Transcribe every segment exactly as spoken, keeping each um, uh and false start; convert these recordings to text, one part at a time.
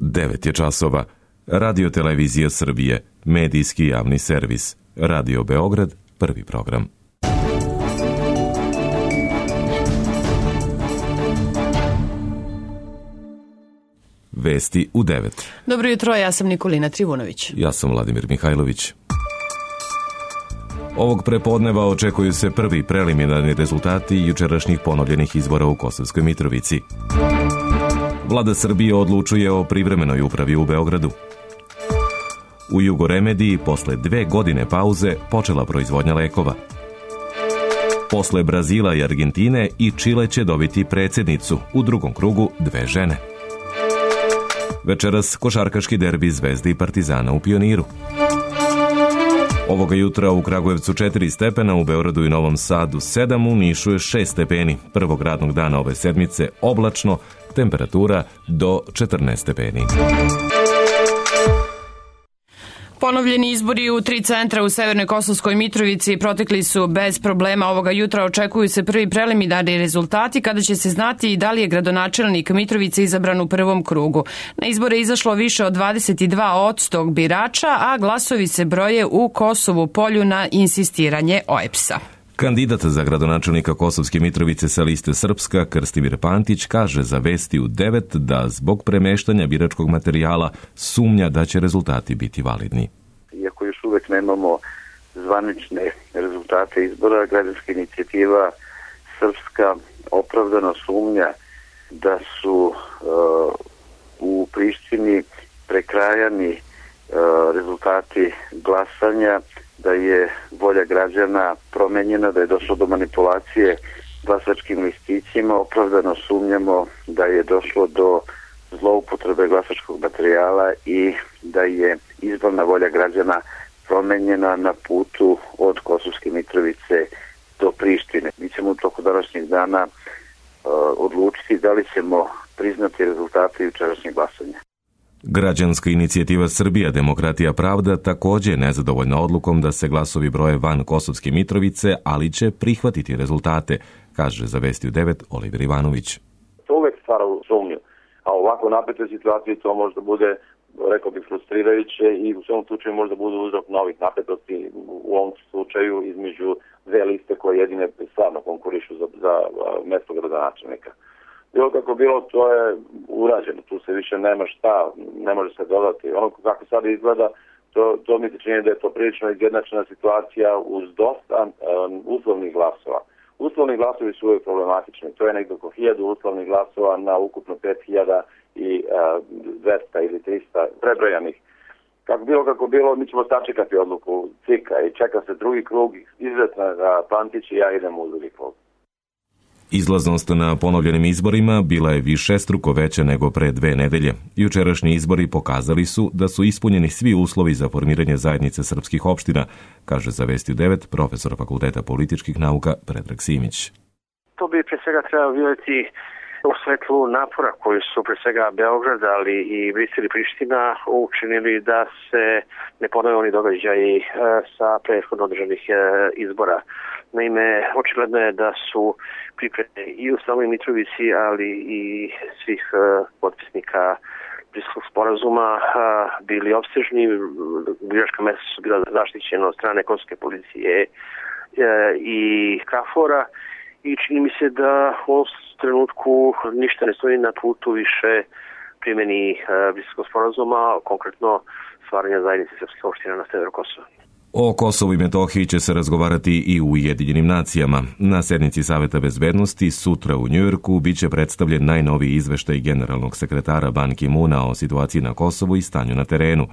devet je časova. Radio Televizija Srbije, medijski javni servis. Radio Beograd, prvi program. Vesti u devet. Dobro jutro, ja sam Nikolina Trivunović. Ja sam Vladimir Mihajlović. Ovog prepodneva očekuju se prvi preliminarni rezultati jučerašnjih ponovljenih izbora u Kosovskoj Mitrovici. Vlada Srbije odlučuje o privremenoj upravi u Beogradu. U Jugoremediji posle dve godine pauze počela proizvodnja lekova. Posle Brazila i Argentine i Čile će dobiti predsjednicu, u drugom krugu dve žene. Večeras košarkaški derbi Zvezde i Partizana u Pioniru. Ovoga jutra u Kragujevcu četiri stepena, u Beogradu i Novom Sadu sedam, u Nišu je šest stepeni. Prvog radnog dana ove sedmice oblačno, temperatura do četrnaest stepeni. Ponovljeni izbori u tri centra u Severnoj Kosovskoj Mitrovici protekli su bez problema. Ovoga jutra očekuju se prvi preliminarni rezultati kada će se znati da li je gradonačelnik Mitrovice izabran u prvom krugu. Na izbore je izašlo više od dvadeset dva posto birača, a glasovi se broje u Kosovu Polju na insistiranje O E P S-a. Kandidat za gradonačelnika Kosovske Mitrovice sa liste Srpska, Krstimir Pantić, kaže za Vesti u devet da zbog premeštanja biračkog materijala sumnja da će rezultati biti validni. Iako još uvek nemamo zvanične rezultate izbora, građanska inicijativa Srpska opravdano sumnja da su uh, u Prištini prekrajani uh, rezultati glasanja, da je volja građana promenjena, da je došlo do manipulacije glasačkim listićima. Opravdano sumnjamo da je došlo do zloupotrebe glasačkog materijala i da je izborna volja građana promenjena na putu od Kosovske Mitrovice do Prištine. Mi ćemo u toku današnjeg dana uh, odlučiti da li ćemo priznati rezultate jučerašnjeg glasanja. Građanska inicijativa Srbija, Demokratija, Pravda također je nezadovoljna odlukom da se glasovi broje van Kosovske Mitrovice, ali će prihvatiti rezultate, kaže za Vesti u devet Oliver Ivanović. To uvek stvara sumnju, a ovako napetoj situaciji to možda bude, rekao bih, frustrirajuće i u svom slučaju možda bude uzrok novih napetosti, u ovom slučaju između dve liste koje jedine stvarno konkurišu za, za mesto gradonačelnika. Bilo kako bilo, to je urađeno, tu se više nema šta, ne može se dodati. Ono kako sad izgleda, to, to mi se čini da je to prilično izjednačena situacija uz dosta um, uslovnih glasova. Uslovni glasovi su uvijek problematični, to je nekdo oko hiljadu uslovnih glasova na ukupno pet hiljada i uh, dvesta ili trista prebrojanih. Kako bilo kako bilo, mi ćemo sačekati odluku C I K-a i čeka se drugi krug, izuzetno da Pantić i ja idemo u drugi krug. Izlaznost na ponovljenim izborima bila je višestruko veća nego pre dve nedelje. Jučerašnji izbori pokazali su da su ispunjeni svi uslovi za formiranje zajednice srpskih opština, kaže za Vesti u devet profesor Fakulteta političkih nauka Predrag Simić. To bi pre svega trebalo vidjeti u svetlu napora koji su pre svega Beograd, ali i Brisel i Priština učinili da se ne ponove oni događaji sa prethodno održanih izbora. Naime, očigledno je da su pripreme i u samoj Mitrovici, ali i svih potpisnika Briselskog sporazuma bili opsežni. Biračka mesta su bila zaštićena od strane kosovske policije i KFOR-a i čini mi se da u ovom trenutku ništa ne stoji na putu više primjeni Briselskog sporazuma, konkretno stvaranja zajednice srpskih opština na severu Kosova. O Kosovu i Metohiji će se razgovarati i u Ujedinjenim nacijama. Na sednici Saveta bezbednosti sutra u Njujorku biće predstavljen najnoviji izveštaj generalnog sekretara Ban Ki-moona o situaciji na Kosovu i stanju na terenu.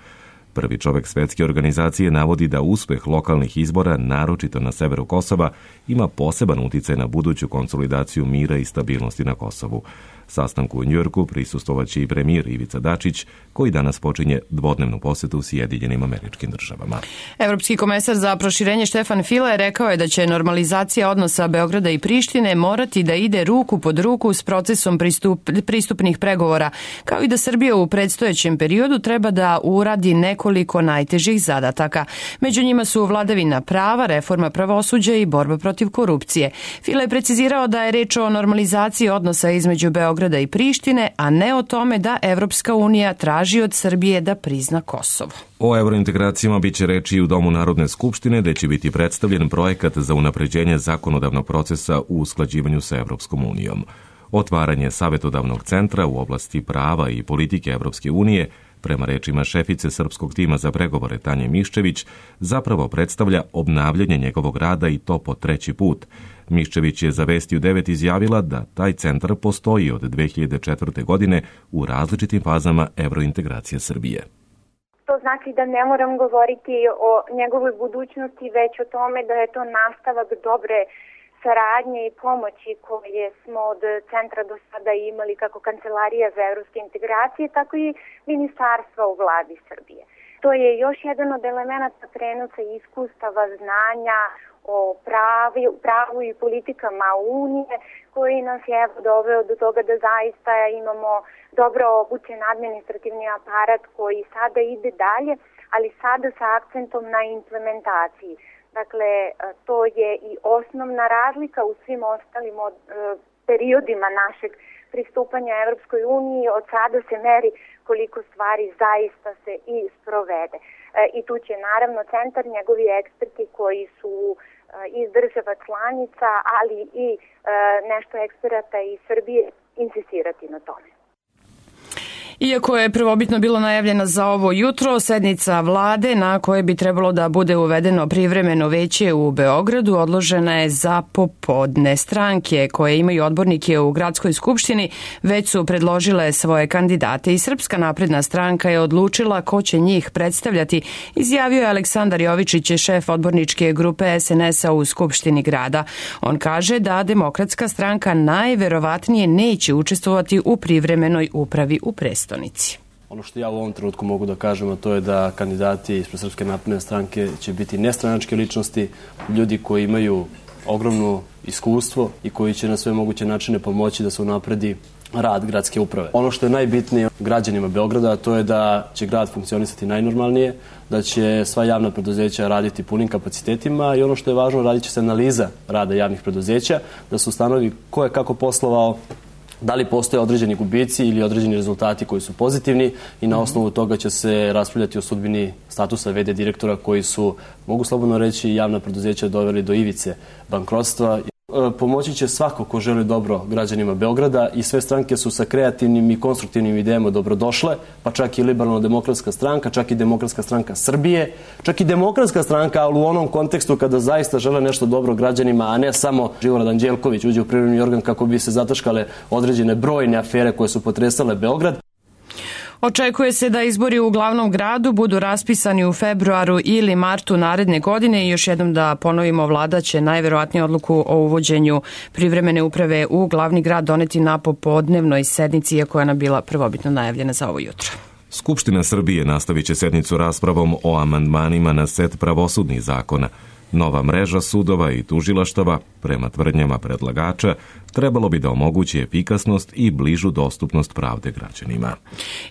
Prvi čovek svetske organizacije navodi da uspeh lokalnih izbora, naročito na severu Kosova, ima poseban uticaj na buduću konsolidaciju mira i stabilnosti na Kosovu. Sastanku u Njujorku prisustvovaće i premijer Ivica Dačić, koji danas počinje dvodnevnu posetu Sjedinjenim Američkim Državama. Evropski komesar za proširenje Štefan File rekao je da će normalizacija odnosa Beograda i Prištine morati da ide ruku pod ruku s procesom pristup, pristupnih pregovora, kao i da Srbija u predstojećem periodu treba da uradi nekoliko najtežih zadataka. Među njima su vladavina prava, reforma pravosuđa i borba protiv korupcije. File je precizirao da je reč o normalizaciji odnosa između Beograda Beograda i Prištine, a ne o tome da Evropska unija traži od Srbije da prizna Kosovo. O evrointegracijama biće reči i u Domu Narodne skupštine, gde će biti predstavljen projekat za unapređenje zakonodavnog procesa u usklađivanju sa Evropskom unijom. Otvaranje savetodavnog centra u oblasti prava i politike Evropske unije, prema rečima šefice srpskog tima za pregovore Tanje Miščević, zapravo predstavlja obnavljanje njegovog rada i to po treći put. Miščević je za Vesti u devet izjavila da taj centar postoji od dve hiljade četvrte. godine u različitim fazama evrointegracije Srbije. To znači da ne moram govoriti o njegovoj budućnosti, već o tome da je to nastavak dobre saradnje i pomoći koje smo od centra do sada imali kako Kancelarija za evropske integracije, tako i ministarstva u vladi Srbije. To je još jedan od elemenata prenosa iskustava, znanja o pravi, pravu i politikama Unije, koji nas je doveo do toga da zaista imamo dobro obučen administrativni aparat koji sada ide dalje, ali sada sa akcentom na implementaciji. Dakle, to je i osnovna razlika u svim ostalim od, e, periodima našeg pristupanja Evropskoj uniji. Od sada se meri koliko stvari zaista se i sprovede. E, I tu će naravno centar, njegovi eksperti koji su e, iz država članica, ali i e, nešto eksperata iz Srbije insistirati na tome. Iako je prvobitno bilo najavljena za ovo jutro, sednica vlade na koje bi trebalo da bude uvedeno privremeno veće u Beogradu odložena je za popodne. Stranke koje imaju odbornike u gradskoj skupštini već su predložile svoje kandidate i Srpska napredna stranka je odlučila ko će njih predstavljati, izjavio je Aleksandar Jovičić, šef odborničke grupe es en es a u Skupštini grada. On kaže da Demokratska stranka najverovatnije neće učestvovati u privremenoj upravi u prestonici. Ono što ja u ovom trenutku mogu da kažem, a to je da kandidati ispred Srpske napredne stranke će biti nestranačke ličnosti, ljudi koji imaju ogromno iskustvo i koji će na sve moguće načine pomoći da se unapredi rad gradske uprave. Ono što je najbitnije građanima Beograda, to je da će grad funkcionisati najnormalnije, da će sva javna preduzeća raditi punim kapacitetima i ono što je važno, radit će se analiza rada javnih preduzeća, da se ustanovi ko je kako poslovao, da li postoje određeni gubici ili određeni rezultati koji su pozitivni i na osnovu toga će se raspravljati o sudbini statusa ve de direktora koji su, mogu slobodno reći, javna preduzeća doveli do ivice bankrotstva. Pomoći će svako ko želi dobro građanima Beograda i sve stranke su sa kreativnim i konstruktivnim idejama dobrodošle, pa čak i Liberalno-demokratska stranka, čak i Demokratska stranka Srbije, čak i Demokratska stranka, ali u onom kontekstu kada zaista žele nešto dobro građanima, a ne samo Živorad Anđelković uđe u privremeni organ kako bi se zataškale određene brojne afere koje su potresale Beograd. Očekuje se da izbori u glavnom gradu budu raspisani u februaru ili martu naredne godine i još jednom da ponovimo, vlada će najverovatnije odluku o uvođenju privremene uprave u glavni grad doneti na popodnevnoj sednici, iako je ona bila prvobitno najavljena za ovo jutro. Skupština Srbije nastavit će sednicu raspravom o amandmanima na set pravosudnih zakona. Nova mreža sudova i tužilaštava, prema tvrdnjama predlagača, trebalo bi da omogući efikasnost i bližu dostupnost pravde građanima.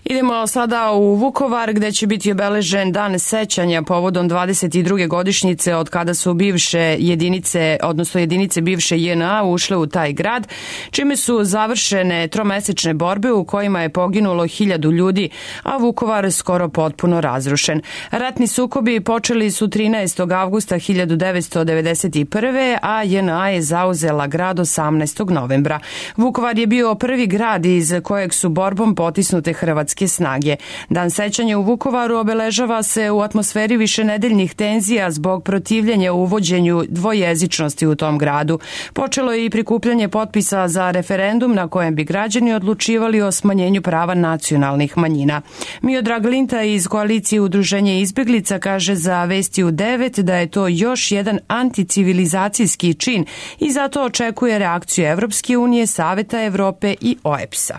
Idemo sada u Vukovar, gde će biti obeležen dan sećanja povodom dvadeset druge godišnjice od kada su bivše jedinice, odnosno jedinice bivše je en a ušle u taj grad, čime su završene tromesečne borbe u kojima je poginulo hiljadu ljudi, a Vukovar skoro potpuno razrušen. Ratni sukobi počeli su trinaestog avgusta hiljadu devetsto devedeset prve. a je en a je zauzela grad osamnaestog novembra. Vukovar je bio prvi grad iz kojeg su borbom potisnute hrvatske snage. Dan sećanja u Vukovaru obeležava se u atmosferi višenedeljnih tenzija zbog protivljenja uvođenju dvojezičnosti u tom gradu. Počelo je i prikupljanje potpisa za referendum na kojem bi građani odlučivali o smanjenju prava nacionalnih manjina. Miodrag Linta iz koalicije Udruženje izbeglica kaže za Vesti u devet da je to još jedan anticivilizacijski čin i zato očekuje reakciju Evropske unije, Saveta Evrope i o e pe es a.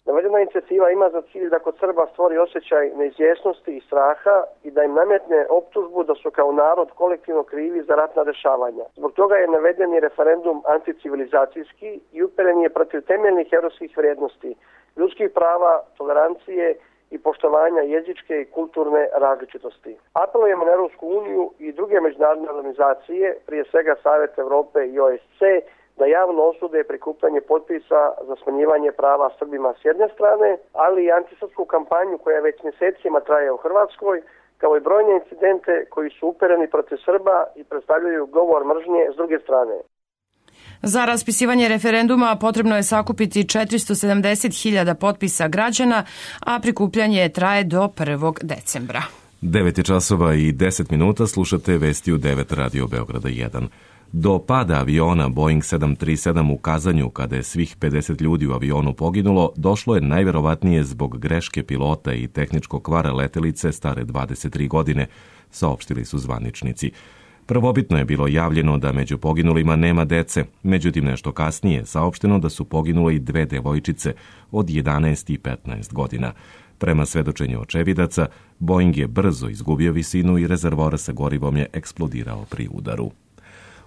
Navedena inicijativa ima za cilj da kod Srba stvori osjećaj neizvjesnosti i straha i da im nametne optužbu da su kao narod kolektivno krivi za ratna dešavanja. Zbog toga je navedeni referendum anticivilizacijski i uperen je protiv temeljnih evropskih vrijednosti, ljudskih prava, tolerancije i poštovanja jezičke i kulturne različitosti. Apelujemo na Evropsku uniju i druge međunarodne organizacije, prije svega Savet Evrope i o e pe es ce, da javno osude prikupljanje potpisa za smanjivanje prava Srbima s jedne strane, ali i antisrpsku kampanju koja već mjesecima traje u Hrvatskoj, kao i brojne incidente koji su upereni protiv Srba i predstavljaju govor mržnje s druge strane. Za raspisivanje referenduma potrebno je sakupiti četiristo sedamdeset hiljada potpisa građana, a prikupljanje traje do prvog decembra. devet je časova i deset minuta, slušate vesti u devet Radio Beograda jedan. Do pada aviona Boeing sedam tri sedam u Kazanju, kada je svih pedeset ljudi u avionu poginulo, došlo je najverovatnije zbog greške pilota i tehničkog kvara letelice stare dvadeset tri godine, saopštili su zvaničnici. Prvobitno je bilo javljeno da među poginulima nema dece, međutim nešto kasnije saopšteno da su poginule i dve devojčice od jedanaest i petnaest godina. Prema svedočenju očevidaca, Boeing je brzo izgubio visinu i rezervoar sa gorivom je eksplodirao pri udaru.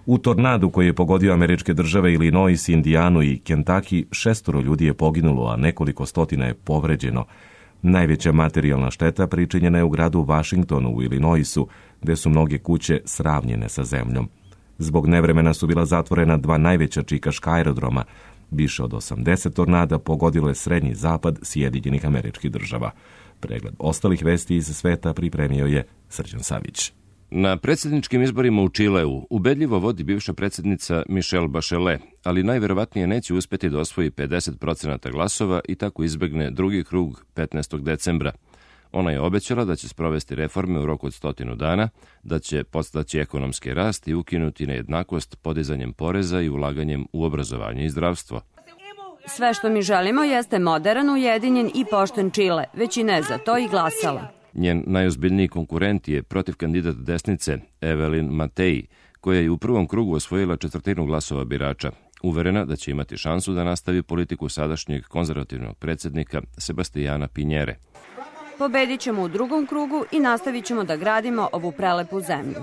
U tornadu koji je pogodio američke države Illinois, Indijanu i Kentucky, šestoro ljudi je poginulo, a nekoliko stotina je povređeno. Najveća materijalna šteta pričinjena je u gradu Washingtonu u Illinoisu, gde su mnoge kuće sravnjene sa zemljom. Zbog nevremena su bila zatvorena dva najveća čikaška aerodroma. Više od osamdeset tornada pogodilo je srednji zapad Sjedinjenih Američkih Država. Pregled ostalih vesti iz sveta pripremio je Srđan Savić. Na predsjedničkim izborima u Čileu ubedljivo vodi bivša predsjednica Michelle Bachelet, ali najverovatnije neće uspjeti da osvoji pedeset procenata glasova i tako izbegne drugi krug petnaestog decembra. Ona je obećala da će sprovesti reforme u roku od stotinu dana, da će podstaći ekonomski rast i ukinuti nejednakost podizanjem poreza i ulaganjem u obrazovanje i zdravstvo. Sve što mi želimo jeste modern, ujedinjen i pošten Čile. Većina je za to i glasala. Njen najozbiljniji konkurent je protiv kandidat desnice Evelyn Matei, koja je u prvom krugu osvojila četvrtinu glasova birača, uverena da će imati šansu da nastavi politiku sadašnjeg konzervativnog predsjednika Sebastijana Pinjere. Pobedit ćemo u drugom krugu i nastavit ćemo da gradimo ovu prelepu zemlju.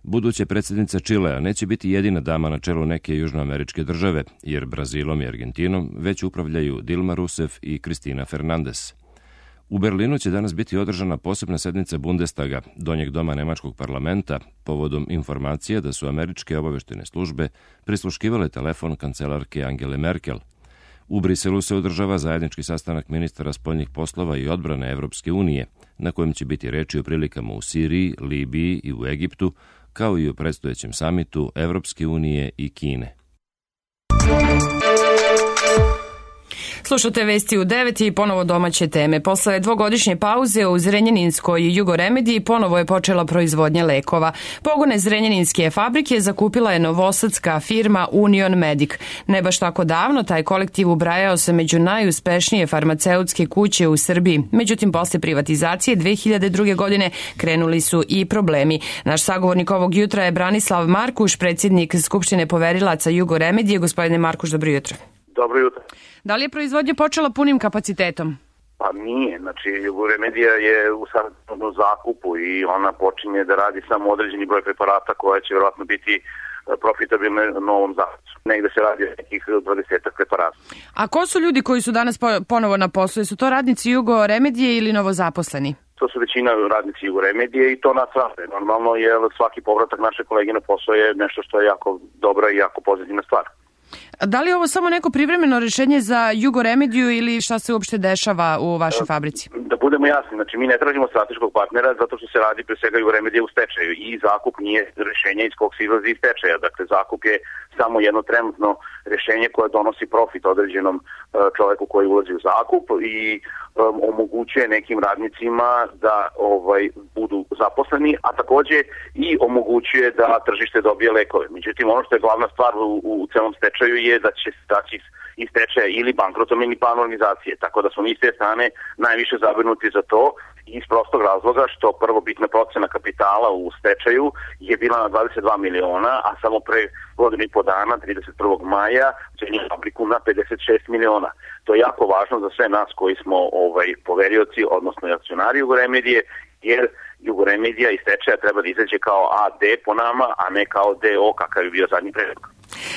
Buduća predsjednica Čilea neće biti jedina dama na čelu neke južnoameričke države, jer Brazilom i Argentinom već upravljaju Dilma Rousseff i Cristina Fernandez. U Berlinu će danas biti održana posebna sednica Bundestaga, donjeg doma nemačkog parlamenta, povodom informacije da su američke obaveštene službe prisluškivale telefon kancelarke Angele Merkel. U Briselu se održava zajednički sastanak ministara spoljnih poslova i odbrane Evropske unije, na kojem će biti reči o prilikama u Siriji, Libiji i u Egiptu, kao i o predstojećem samitu Evropske unije i Kine. Slušate vesti u devet i ponovo domaće teme. Posle dvogodišnje pauze u Zrenjaninskoj Jugoremediji ponovo je počela proizvodnja lekova. Pogone Zrenjaninske fabrike zakupila je novosadska firma Union Medic. Ne baš tako davno taj kolektiv ubrajao se među najuspešnije farmaceutske kuće u Srbiji. Međutim, posle privatizacije dve hiljade druge. godine krenuli su i problemi. Naš sagovornik ovog jutra je Branislav Markuš, predsjednik Skupštine poverilaca Jugoremedije. Gospodine Markuš, dobro jutro. Dobro jutro. Da li je proizvodnja počela punim kapacitetom? Pa nije, znači Jugoremedija je u samom zakupu i ona počinje da radi samo određeni broj preparata koja će vjerojatno biti profitabilne novom zakupu. Negde se radi o nekih dvadesetak preparata. A ko su ljudi koji su danas ponovo na poslu? Su to radnici Jugoremedije ili novozaposleni? To su većina radnici Jugoremedije i to nas rade. Normalno je svaki povratak naše kolege na posao je nešto što je jako dobra i jako pozitivna stvar. Da li je ovo samo neko privremeno rješenje za Jugoremediju ili šta se uopšte dešava u vašoj fabrici? Da budemo jasni, znači mi ne tražimo strateškog partnera zato što se radi pre svega Jugoremedija u stečaju i zakup nije rješenje iz kog se izlazi iz stečaja. Dakle, zakup je samo jedno trenutno rješenje koje donosi profit određenom čoveku koji ulazi u zakup i um, omogućuje nekim radnicima da ovaj budu zaposleni, a takođe i omogućuje da tržište dobije lekove. Međutim, ono što je glavna stvar u, u celom stečaju je da će staći iz stečaja ili bankrotom ili plan organizacije. Tako da smo mi s te strane najviše zabrinuti za to iz prostog razloga što prvobitna procena kapitala u stečaju je bila na dvadeset dva miliona, a samo pre godinu i po dana, trideset prvog maja, cenio fabriku na pedeset šest miliona. To je jako važno za sve nas koji smo ovaj poverioci, odnosno akcionari Jugoremedije, jer Jugoremedija iz stečaja treba da izađe kao A D po nama, a ne kao D O kakav je bio zadnji predlog.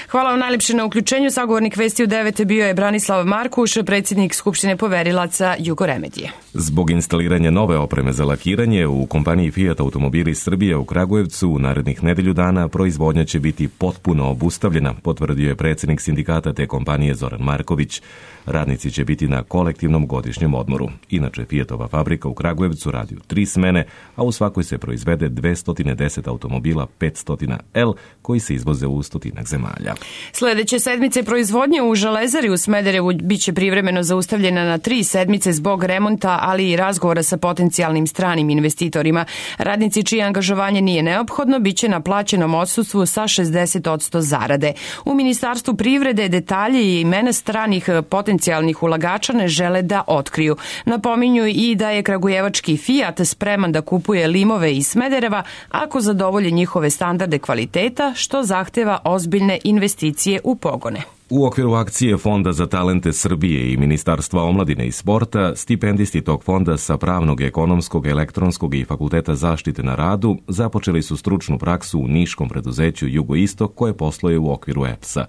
Hvala vam najlepše na uključenju. Sagovornik Vesti u devet bio je Branislav Markuš, predsjednik Skupštine poverilaca Jugoremedije. Zbog instaliranja nove opreme za lakiranje u kompaniji Fiat Automobili Srbije u Kragujevcu u narednih nedelju dana proizvodnja će biti potpuno obustavljena, potvrdio je predsjednik sindikata te kompanije Zoran Marković. Radnici će biti na kolektivnom godišnjem odmoru. Inače, Fiatova fabrika u Kragujevcu radi u tri smene, a u svakoj se proizvede dvesta deset automobila petsto L koji se izvoze u stotinak zemalja. Sljedeće sedmice proizvodnje u Železari u Smederevu biće privremeno zaustavljena na tri sedmice zbog remonta, ali i razgovora sa potencijalnim stranim investitorima. Radnici čije angažovanje nije neophodno biće na plaćenom odsustvu sa šezdeset posto zarade. U Ministarstvu privrede detalje i imena stranih potencijalnih ulagača ne žele da otkriju. Napominju i da je kragujevački Fiat spreman da kupuje limove iz Smedereva ako zadovolje njihove standarde kvaliteta, što zahteva ozbiljne investicije u pogone. U okviru akcije Fonda za talente Srbije i Ministarstva omladine i sporta, stipendisti tog fonda sa Pravnog, Ekonomskog, Elektronskog i Fakulteta zaštite na radu započeli su stručnu praksu u niškom preduzeću Jugoistok koje posluje u okviru E P S-a.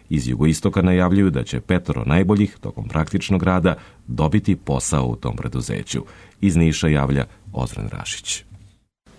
Iz Jugoistoka najavljuju da će petoro najboljih tokom praktičnog rada dobiti posao u tom preduzeću. Iz Niša javlja Ozren Rašić.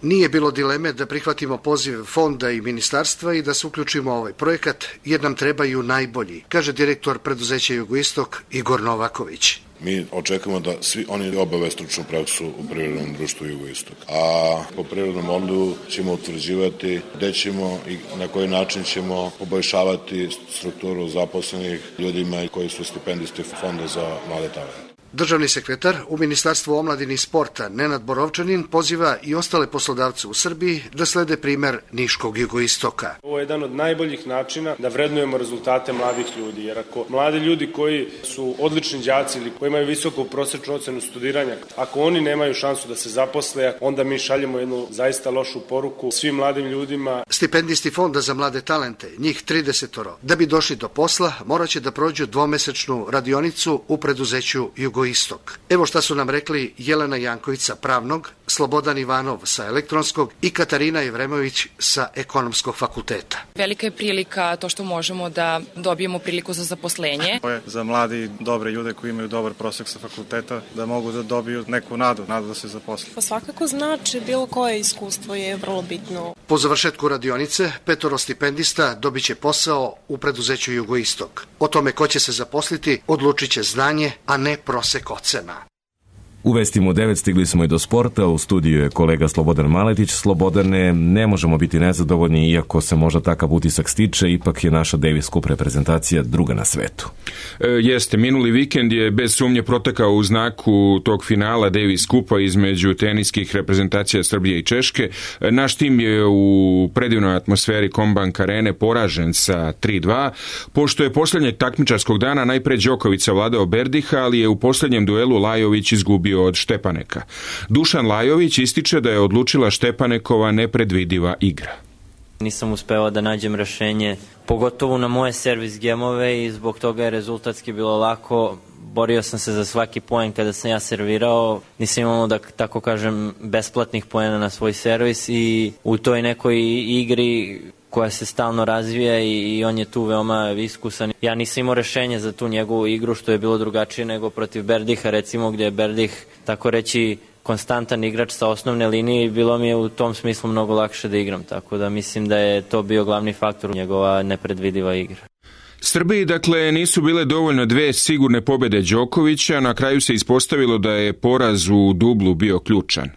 Nije bilo dileme da prihvatimo poziv fonda i ministarstva i da se uključimo u ovaj projekat, jer nam trebaju najbolji, kaže direktor preduzeća Jugoistok Igor Novaković. Mi očekujemo da svi oni obave stručnu praksu u Privrednom društvu Jugoistok. A po Privrednom fondu ćemo utvrđivati gde ćemo i na koji način ćemo poboljšavati strukturu zaposlenih ljudima koji su stipendisti Fonda za mlade talente. Državni sekretar u Ministarstvu omladine i sporta Nenad Borovčanin poziva i ostale poslodavce u Srbiji da slede primer niškog Jugoistoka. Ovo je jedan od najboljih načina da vrednujemo rezultate mladih ljudi, jer ako mladi ljudi koji su odlični đaci ili koji imaju visoku prosečnu ocenu studiranja, ako oni nemaju šansu da se zaposle, onda mi šaljemo jednu zaista lošu poruku svim mladim ljudima. Stipendisti Fonda za mlade talente, njih tridesetoro, da bi došli do posla, morat će da prođu dvomesečnu radionicu u preduzeću Jugoistok. Istok. Evo šta su nam rekli Jelena Janković sa Pravnog, Slobodan Ivanov sa Elektronskog i Katarina Jevremović sa Ekonomskog fakulteta. Velika je prilika to što možemo da dobijemo priliku za zaposlenje. To je za mladi dobre ljude koji imaju dobar prosek sa fakulteta da mogu da dobiju neku nadu, nadu da se zaposle. Pa svakako znači bilo koje iskustvo je vrlo bitno. Po završetku radionice, petoro stipendista dobit će posao u preduzeću Jugoistok. O tome ko će se zaposliti odlučit će znanje, a ne prosek ocena. U Vestima u devet stigli smo i do sporta. U studiju je kolega Slobodan Maletić. Slobodane, ne možemo biti nezadovoljni, iako se možda takav utisak stiče, ipak je naša Davis Cup reprezentacija druga na svetu. E, jeste, minuli vikend je bez sumnje protekao u znaku tog finala Davis Cupa između teniskih reprezentacija Srbije i Češke. E, naš tim je u predivnoj atmosferi Kombank Arene poražen sa tri dva, pošto je posljednjeg takmičarskog dana najpre Đoković savladao Berdiha, ali je u posljednjem duelu Lajović izgubio od Štepaneka. Dušan Lajović ističe da je odlučila Štepanekova nepredvidiva igra. Nisam uspeo da nađem rešenje, pogotovo na moje servis gemove, i zbog toga je rezultatski bilo lako. Borio sam se za svaki poen kada sam ja servirao, nisam imao, da tako kažem, besplatnih poena na svoj servis, i u toj nekoj igri koja se stalno razvija i, i on je tu veoma iskusan. Ja nisam imao rešenje za tu njegovu igru, što je bilo drugačije nego protiv Berdiha, recimo, gdje je Berdih, tako reći, konstantan igrač sa osnovne linije, i bilo mi je u tom smislu mnogo lakše da igram, tako da mislim da je to bio glavni faktor, njegova nepredvidiva igra. Srbiji, dakle, nisu bile dovoljno dve sigurne pobjede Đokovića, na kraju se ispostavilo da je poraz u dublu bio ključan.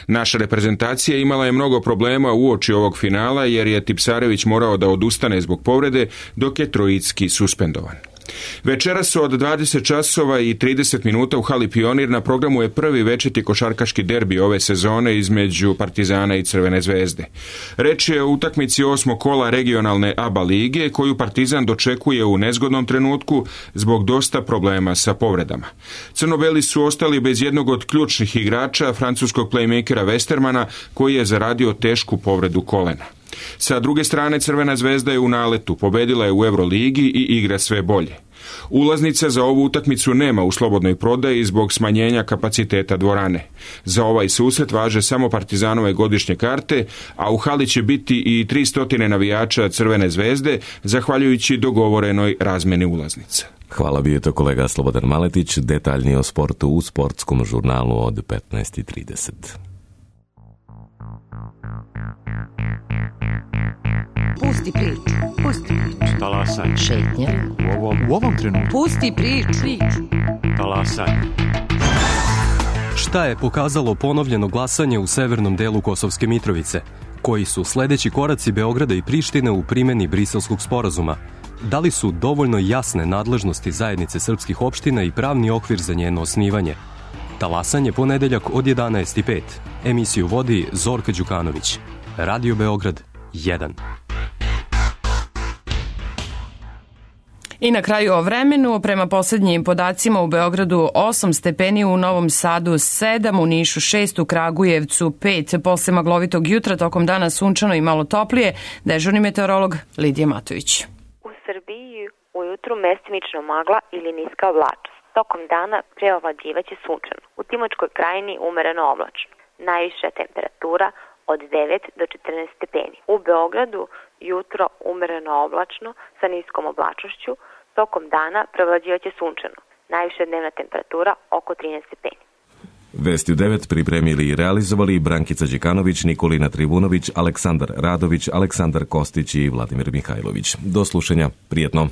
Naša reprezentacija imala je mnogo problema uoči ovog finala, jer je Tipsarević morao da odustane zbog povrede, dok je Trojicki suspendovan. Večeras od dvadeset časova i trideset minuta u hali Pionir na programu je prvi večiti košarkaški derbi ove sezone između Partizana i Crvene zvezde. Reč je o utakmici osmog kola regionalne A B A lige, koju Partizan dočekuje u nezgodnom trenutku zbog dosta problema sa povredama. Crnobeli su ostali bez jednog od ključnih igrača, francuskog playmakera Westermana, koji je zaradio tešku povredu kolena. Sa druge strane, Crvena zvezda je u naletu, pobedila je u Euroligi i igra sve bolje. Ulaznica za ovu utakmicu nema u slobodnoj prodaji zbog smanjenja kapaciteta dvorane. Za ovaj susret važe samo Partizanove godišnje karte, a u hali će biti i tristo navijača Crvene zvezde, zahvaljujući dogovorenoj razmeni ulaznica. Hvala, bio je to kolega Slobodan Maletić, detaljnije o sportu u sportskom žurnalu od petnaest i trideset. Pusti priču, pusti priču. Talasaj. Šetnja. U ovom, u ovom trenutku. Pusti priču. Talasaj. Šta je pokazalo ponovljeno glasanje u severnom delu Kosovske Mitrovice? Koji su sledeći koraci Beograda i Prištine u primeni Briselskog sporazuma? Da li su dovoljno jasne nadležnosti zajednice srpskih opština i pravni okvir za njeno osnivanje? Talasanje ponedeljak od jedanaest i pet. Emisiju vodi Zorka Đukanović. Radio Beograd jedan. I na kraju o vremenu, prema posljednjim podacima u Beogradu osam stepeni, u Novom Sadu sedam, u Nišu šest, u Kragujevcu pet. Posle maglovitog jutra, tokom dana sunčano i malo toplije, dežurni meteorolog Lidija Matović. U Srbiji ujutru mestimično magla ili niska oblačnost. Tokom dana preovlađivaće sunčano. U Timočkoj krajini umereno oblačno. Najviša temperatura od devet do četrnaest stepeni. U Beogradu jutro umereno oblačno sa niskom oblačnošću, tokom dana prevlađivaće sunčano. Najviša dnevna temperatura oko trinaest stepeni. Vesti u devet pripremili i realizovali Brankica Đekanović, Nikolina Trivunović, Aleksandar Radović, Aleksandar Kostić i Vladimir Mihajlović. Do slušanja, prijetno.